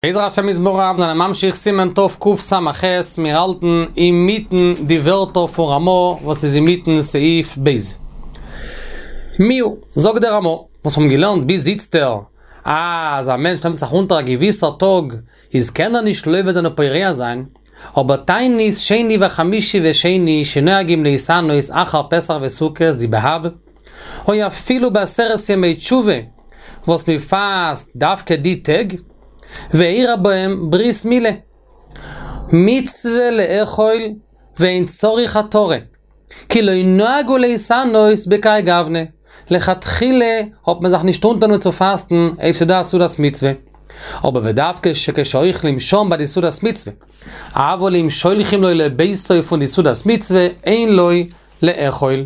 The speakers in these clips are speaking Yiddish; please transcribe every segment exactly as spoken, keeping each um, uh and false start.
בעזר השם יתברך זענען ממשיך סימן תקס"ח, מיר האלטן אינמיטן די ווערטער פון רמא וואס איז אינמיטן סעיף ב'. מיהו, זאגט דער רמא, וואס מיר האבן געלערנט ביז איצטער, אז א מענטש נעמט זיך אונטער א געוויסער טאג, איז קען ער נישט לובט זיין און פורע זיין, אבער תענית שני וחמישי ושני שנוהגים להתענות אחר פסח וסוכות די באב, או אפילו בעשרת ימי תשובה וואס מען פאסט דווקא די טעג, ואירע בהם ברית מילה. מצוה לאכול ואין צריך התרה, כי לא נהגו להתענות בכהאי גוונא, לכתחילה האט מען זיך נישט אונטערגענומען צו פאסטן אויב ס'דא א סעודת מצוה, אבער ודווקא שכשאוכלים שם ביי די סעודת מצוה, אבל אם שולחים לו לביתו פון די סעודת מצוה אין לו לאכול.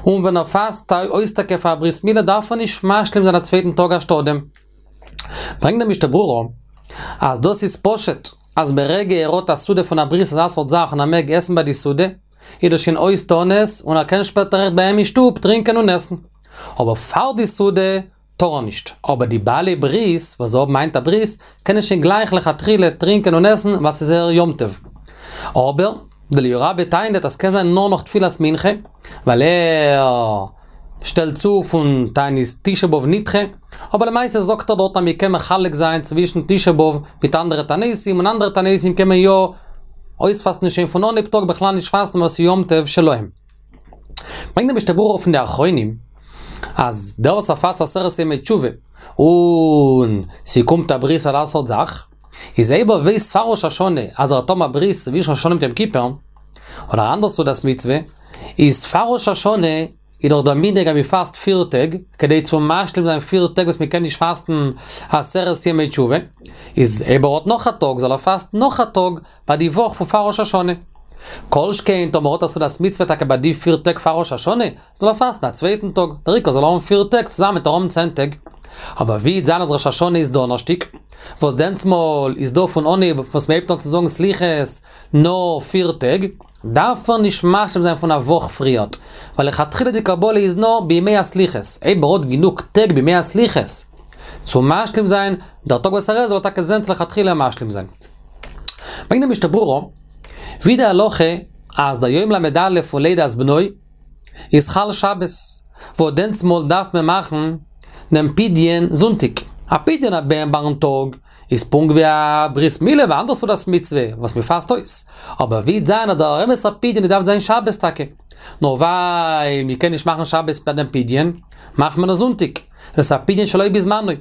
און ווען ער פאסט אויס טאקע פאר א ברית מילה דארף ער נישט משלים זיין א צווייטן טאג אנשטאט דעם. ברענגט דער משנה ברורה אז דאס איז פשוט אז ברגע ער האט א סעודה פון א ברית אזא סארט זאך און ער מעג עסן ביי די סעודה, איז דאס שוין אויס תענית און ער קען שפעטער אויכעט ביי אים אין שטוב טרינקען און עסן. אבער פאר די סעודה טאר ער נישט. אבער די בעלי ברית וואס זיי האבן היינט א ברית קענען שוין גלייך לכתחילה טרינקען און עסן ווייל ס'איז זייער יום טוב. אבער דער אליהו רבה טענה'ט אז ס'קען זיין נאר נאך תפילת מנחה, ווייל ער שטעלט צו פון תענית תשעה באב נדחה, אבער למעשה זאגט ער דארט אז מ'קען מחלק זיין צווישן תשעה באב מיט אנדערע תעניתים, און אנדערע תעניתים קען מען יא אויספאסטן שוין פון אנהייב טאג בכלל נישט פאסטן ווייל ס'איז יום טוב שלהם. ברענגט דער משנה ברורה פון די אחרונים אז דער וואס ער פאסט עשרת ימי תשובה און ס'קומט א ברית אזא סארט זאך, איז אויב ער ווייסט פאר ראש השנה אז ער וועט האבן א ברית צווישן ראש השנה מיט יום כיפור, אדער א אנדער סעודת מצוה, איז פאר ראש השנה איז דאך דער מנהג אז מען פאסט פיר טעג, כדי צו משלים זיין פיר טעג וואס מען קען נישט פאסטן עשרת ימי תשובה, איז אויב ער האט נאך א טאג זאל ער פאסטן נאך א טאג ביי די וואך פון פאר ראש השנה. כל שכן טאמער האט ער סעודת מצוה טאקע ביי די פיר טעג פאר ראש השנה, זאל ער פאסטן א צווייטן טאג, דער עיקר זאל ער האבן פיר טעג, צוזאמען וועט ער האבן צען טעג. אבער ווי וועט זיין אז ראש השנה איז דאנערשטיג, וואס דענסמאל איז דא פון אנהייב וואס מען הייבט אן צו זאגן סליחות נאר פיר טעג, דארף ער נישט משלים זיין פון א וואך פריערט, ווייל לכתחילה די קבלה איז נאר בימי הסליחות, אויב ער האט גענוג טעג בימי הסליחות צו משלים זיין, דער טאג וואס ער עסט זאל ער טאקע זען צו לכתחילה משלים זיין. ברענגט די משנה ברורה, ווי די הלכה אז דער יום ל"א פון לידת בנו איז חל שבת, וואס דענסמאל דארף מען מאכן דעם פדיון זונטאג, א פדיון הבן ביים טאג איז פונקט ווי א ברית מילה ואנדערע סעודת מצוה וואס מען פאסט אויס, אבער ווי וועט זיין אז דער אמת'ער פדיון דארף זיין שבת טאקע, נאר ווייל מען קען נישט מאכן שבת ביי דעם פדיון, מאכט מען עס זונטאג, דאס איז א פדיון שלא בזמנו.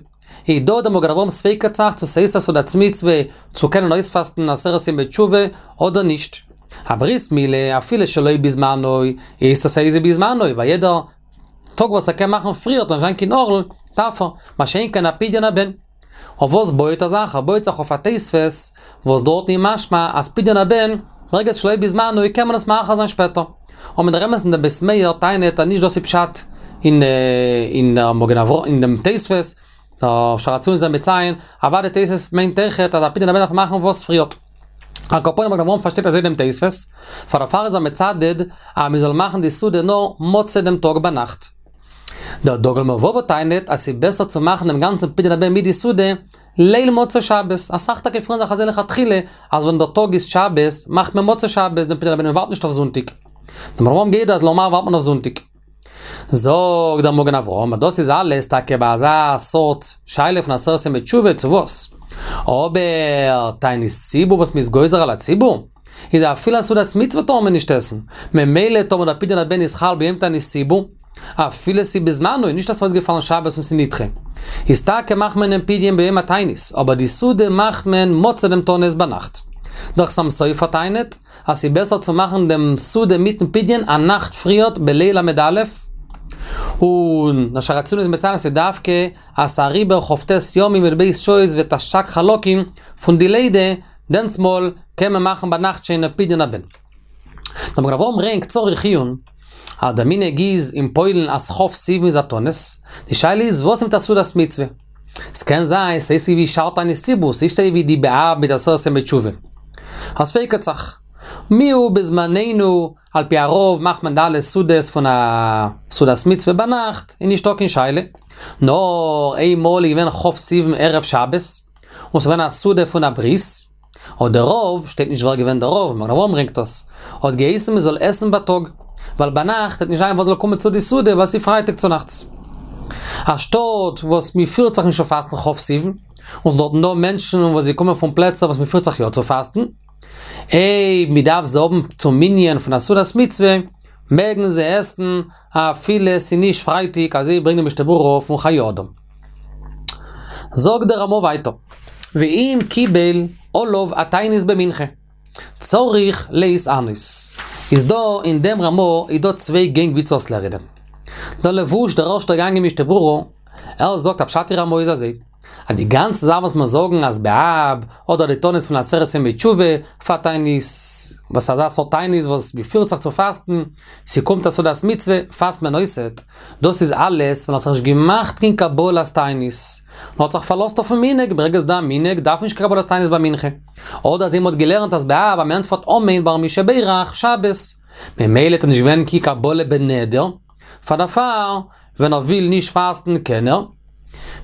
איז דא דער מגן אברהם ספק'ט זיך צו ס'איז א סעודת מצוה צו קענען אויספאסטן עשרת ימי תשובה אדער נישט. א ברית מילה אפילו שלא בזמנו איז עס איז בזמנו ווייל יעדער טאג וואס ער קען מאכן פריער וועט נישט זיין קיין ערל דארף ער, מה שאין כן א פדיון הבן. אויף וואס בויעט ער זיך? ער בויעט זיך אויף א תוספות וואס דארטן איז משמע אז פדיון הבן ברגע שלא בזמנו קען מען עס מאחר זיין שפעטער. אבער אין דער אמת'ן דער בית מאיר טענה'ט אז נישט דאס איז פשט אין אין מגן אברהם אין דעם תוספות, דער שער הציון איז מציין, אוודאי תוספות מיינט אויכעט אז א פדיון הבן דארף מען מאכן וואס פריערט. על כל פנים מגן אברהם פארשטייט אזוי דעם תוספות, פאר דערפאר איז ער מצדד אז מען זאל מאכן די סעודה נאר מוצאי דעם טאג ביינאכט. דער דגל מרבבה טענה'ט אז ס'איז בעסער צו מאכן דעם גאנצן פדיון הבן מיט די סעודה ליל מוצאי שבת, אסאך טאקע פירן זיך אזוי לכתחילה, אז ווען דער טאג איז שבת, מאכט מען מוצאי שבת דעם פדיון הבן און מ'ווארט נישט אויף זונטאג. דער מגן אברהם גייט אז נארמאל ווארט מען אויף זונטאג. זאגט דער מגן אברהם אז דאס איז אלעס טאקע ביי אזא סארט שאלה פון עשרת ימי תשובה צו וואס. אבער תענית ציבור וואס מ'איז גוזר על הציבור, איז אפילו א סעודת מצוה טאר מען נישט עסן, ממילא טאמער דער פדיון הבן איז חל ביום תענית ציבור, אפילו ס'איז בזמנו, נישט אז ס'איז אויסגעפאלן שבת און ס'איז נדחה. איז טאקע מאכט מען דעם פדיון ביום התענית, אבער די סעודה מאכט מען מוצאי דעם תענית ביינאכט. דער חתם סופר טענה'ט אז ס'איז בעסער צו מאכן דעם סעודה מיטן פדיון א נאכט פריערט בליל ל"א, און דער שער הציון איז מציין אז ס'איז דווקא אז ס'איז אריבער כ"ט ימים י"ב שעות ותש"ג חלקים פון די לידה, דענסמאל קען מען מאכן ביינאכט שוין דעם פדיון הבן. דער מגן אברהם ברענגט צריך עיון אז דער מנהג איז אין פוילן אז כ' סיוון איז א תענית, די שאלה איז וואס מיט א סעודת מצוה? ס'קען זיין ס'איז ווי שאר תענית ציבור, ס'נישט אזוי ווי די באב מיט עשרת ימי תשובה. אז ספק'ט זיך. מיהו בזמנינו על פי הרוב מאכט מען די אלע סעודות פון א סעודת מצוה ביינאכט איז נישטא קיין שאלה. נאר איינמאל איז געווען כ' סיוון ערב שבת, און ס'געווען א סעודה פון א ברית, האט דער רב, שטייט נישט ווער געווען דער רב, מגן אברהם ברענגט דאס, האט געהייסן מ'זאל עסן בייטאג, ווייל ביינאכט וועט נישט זיין וואס זאל קומען צו די סעודה ווייל ס'איז פרייטאג צונאכטס. א שטאט וואס מ'פירט זיך נישט צו פאסטן כ' סיוון, און ס'דארטן דא מענטשן וואס זיי קומען פון פלעצער וואס מ'פירט זיך יא צו פאסטן, אויב מ'דארף זיי האבן צום מנין פון א סעודת מצוה, מעגן זיי עסן אפילו ס'איז נישט פרייטאג, אזוי ברענגט די משנה ברורה פון חיי אדם. זאגט דער רמא ווייטער, ואם קיבל עליו התענית במנחה, צריך להתענות. איז דא אין דעם רמא איז דא צוויי גענג ווי צו עס לערנען. דער לבוש דער ערשטער גאנג אין משנה ברורה, ער זאגט אז פשט אין רמא איז אזוי, אז די גאנצע זאך וואס מיר זאגן אז באב, אדער די תענית פון עשרת ימי תשובה, פאר תענית, וואס אזא סארט תענית וואס מ'פירט זיך צו פאסטן, ס'קומט א סעודת מצוה, פאסט מען אויסעט, דאס איז אלעס ווען האט זיך נישט געמאכט קיין קבלת תענית, נאר האט זיך פארלאזט אויפן מנהג, ברגע ס'דא א מנהג דארף מען נישט קיין קבלת תענית ביי מנחה. אדער אזוי מ'האט געלערנט אז באב אז מ'ענטפערט אמן ביי מי שברך שבת, ממילא האט נישט געווען קיין קבלה בנדר, פאר דערפאר ווען ער וויל נישט פאסטן קען ער,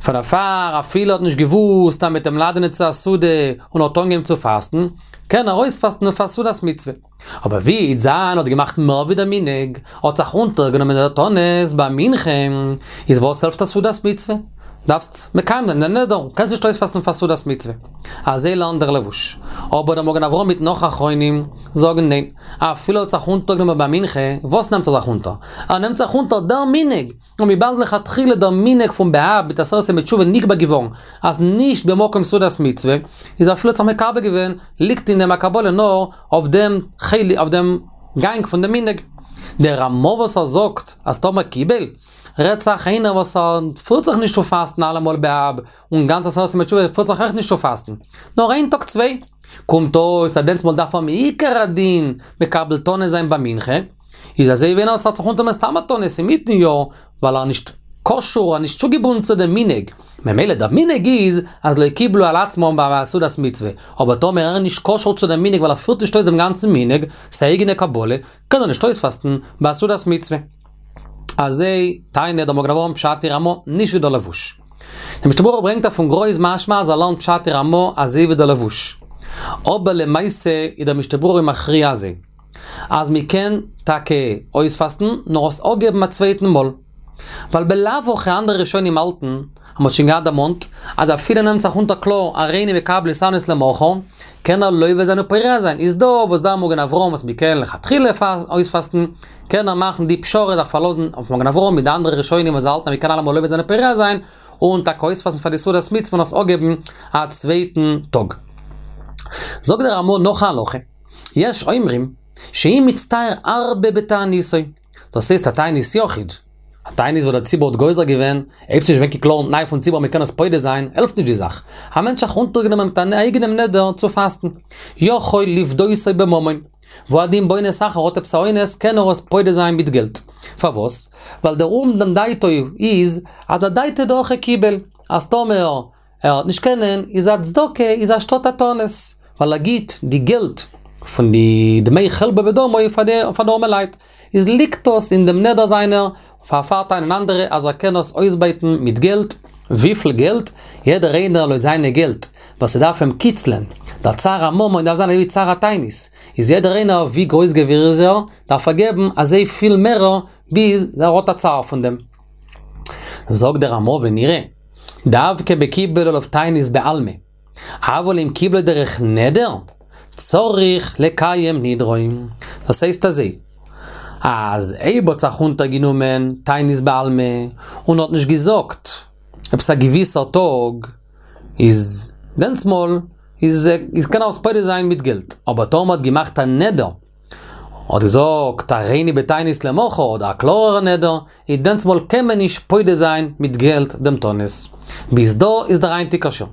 פאר דערפאר אפילו האט נישט געוואוסט אז מ'וועט אים לאדענען צו א סעודה און האט אנגעהויבן צו פאסטן, קען ער אויספאסטן פאר סעודת מצוה. אבער ווי איז זיין האט געמאכט מער ווי דער מנהג, האט זיך אונטערגענומען דער תענית ביי מנחה, איז וואס העלפט א סעודת מצוה? דארפסט מקיים זיין דעם נדר, קענסט נישט אויספאסטן פאר סעודת מצוה. אזוי לערנט דער לבוש. אבער דער מגן אברהם מיט נאך אחרונים זאגן ניין, אפילו האט זיך אונטערגענומען ביי מנחה, וואס נעמט ער זיך אונטער? ער נעמט זיך אונטער דער מנהג, און וויבאלד לכתחילה דער מנהג פון באב מיט עשרת ימי תשובה נקבע געווארן אז נישט במקום סעודת מצוה, איז אפילו האט זיך מקבל געווען, ליגט אין דעם א קבלה נאר אויף דעם חלק, אויף דעם גאנג פון דעם מנהג. דער רמא וואס ער זאגט אז טאמער קיבל, רעדט זיך איינער וואס ער פירט זיך נישט צו פאסטן אלעמאל באב, און גאנץ עשרת ימי תשובה פירט זיך אויך נישט צו פאסטן, נאר איין טאג צוויי. קומט אויס אז דענסטמאל דארף ער מעיקר הדין מקבל תענית זיין ביי מנחה, איז אזוי ווי איינער וואס האט זיך אונטערגענומען סתם א תענית אינמיטן יאר, ווייל ער איז נישט קשור, ער איז נישט צוגעבונדן צו דעם מנהג, ממילא דער מנהג איז אז לא קיבלו על עצמם ביי סעודת מצוה, אבער טאמער ער איז נישט קשור צו דעם מנהג ווייל ער פירט נישט אויס דעם גאנצן מנהג, ס'איז א אייגענע קבלה, קען ער נישט אויספאסטן ביי סעודת מצוה. אזוי טענה'ט דער מגן אברהם פשט אין רמא, נישט ווי דער לבוש. דער משנה ברורה ברענגט אויף פון גר"א איז משמע אז ער לערנט פשט אין רמא אזוי ווי דער לבוש. אבער למעשה איז דער משנה ברורה מכריע אזוי. אז מען קען טאקע אויספאסטן, נאר עס אפגעבן א צווייטן מאל. ווייל בלאו הכי אנדערע ראשונים האלטן, אז מ'האט שוין געהאט דערמאנט, אז אפילו נעמט זיך אונטער קלאר הריני מקבל להתענות למחר, קען ער לוה זיין ופורע זיין, איז דא וואס דער מגן אברהם וואס מ'קען לכתחילה אויספאסטן, קען ער מאכן די פשרה זיך פארלאזן אויף מגן אברהם מיט די אנדערע ראשונים וואס האלטן אז מ'קען אלעמאל לוה זיין ופורע זיין, און טאקע אויספאסטן פאר די סעודת מצוה און עס אפגעבן א צווייטן טאג. זאגט דער רמא נאך א הלכה, יש אומרים שאם מצטער הרבה בתעניתו, דאס הייסט א תענית יחיד, א תענית וואס דער ציבור האט גוזר געווען, אויב ס'נישט געווען קיין קלארן תנאי פון ציבור מ'קען עס פודה זיין, העלפט נישט די זאך. א מענטש האט זיך אונטערגענומען מיט אן אייגענעם נדר צו פאסטן, יכול לפדותו בממון, והוא הדין באונס אחר האט עפעס א אונס קען ער עס פודה זיין מיט געלט. פארוואס? ווייל דער אומדן דעתו איז אז אדעתא דהכי קיבל, אז טאמער ער וועט נישט קענען, איז א צדקה איז אנשטאט א תענית, ווייל ער גיט די געלט פון די דמי חלבו ודמו פאר די פאר די ארמע לייט, איז ליגט דאס אין דעם נדר זיינער, פארפאר טענה'ן אנדערע אז ער קען עס אויסבייטן מיט געלט, וויפיל געלט? יעדער איינער לויט זיינע געלט, וואס ס'דארף אים קיצלען, דער צער הממון דארף זיין אזוי ווי צער התענית, איז יעדער איינער ווי גרויס גביר איז ער, דארף ער געבן אזוי פיל מערער ביז ער האט א צער פון דעם. זאגט דער רמא ונראה, דווקא בקיבל עליו תענית בעלמא, אבל אם קיבלו דרך נדר, צריך לקיים נדרו. דאס הייסט אזוי, אז אויב האט זיך אונטערגענומען תענית בעלמא, און האט נישט געזאגט עפעס א געוויסער טאג, איז דענסמאל איז איז קען ער עס פודה זיין מיט געלט, אבער טאמער האט געמאכט א נדר, האט געזאגט הריני בתענית למחר אדער א קלארערע נדר, איז דענסמאל קען מען נישט פודה זיין מיט געלט דעם תענית. ביז דא איז דער היינטיגער שיעור.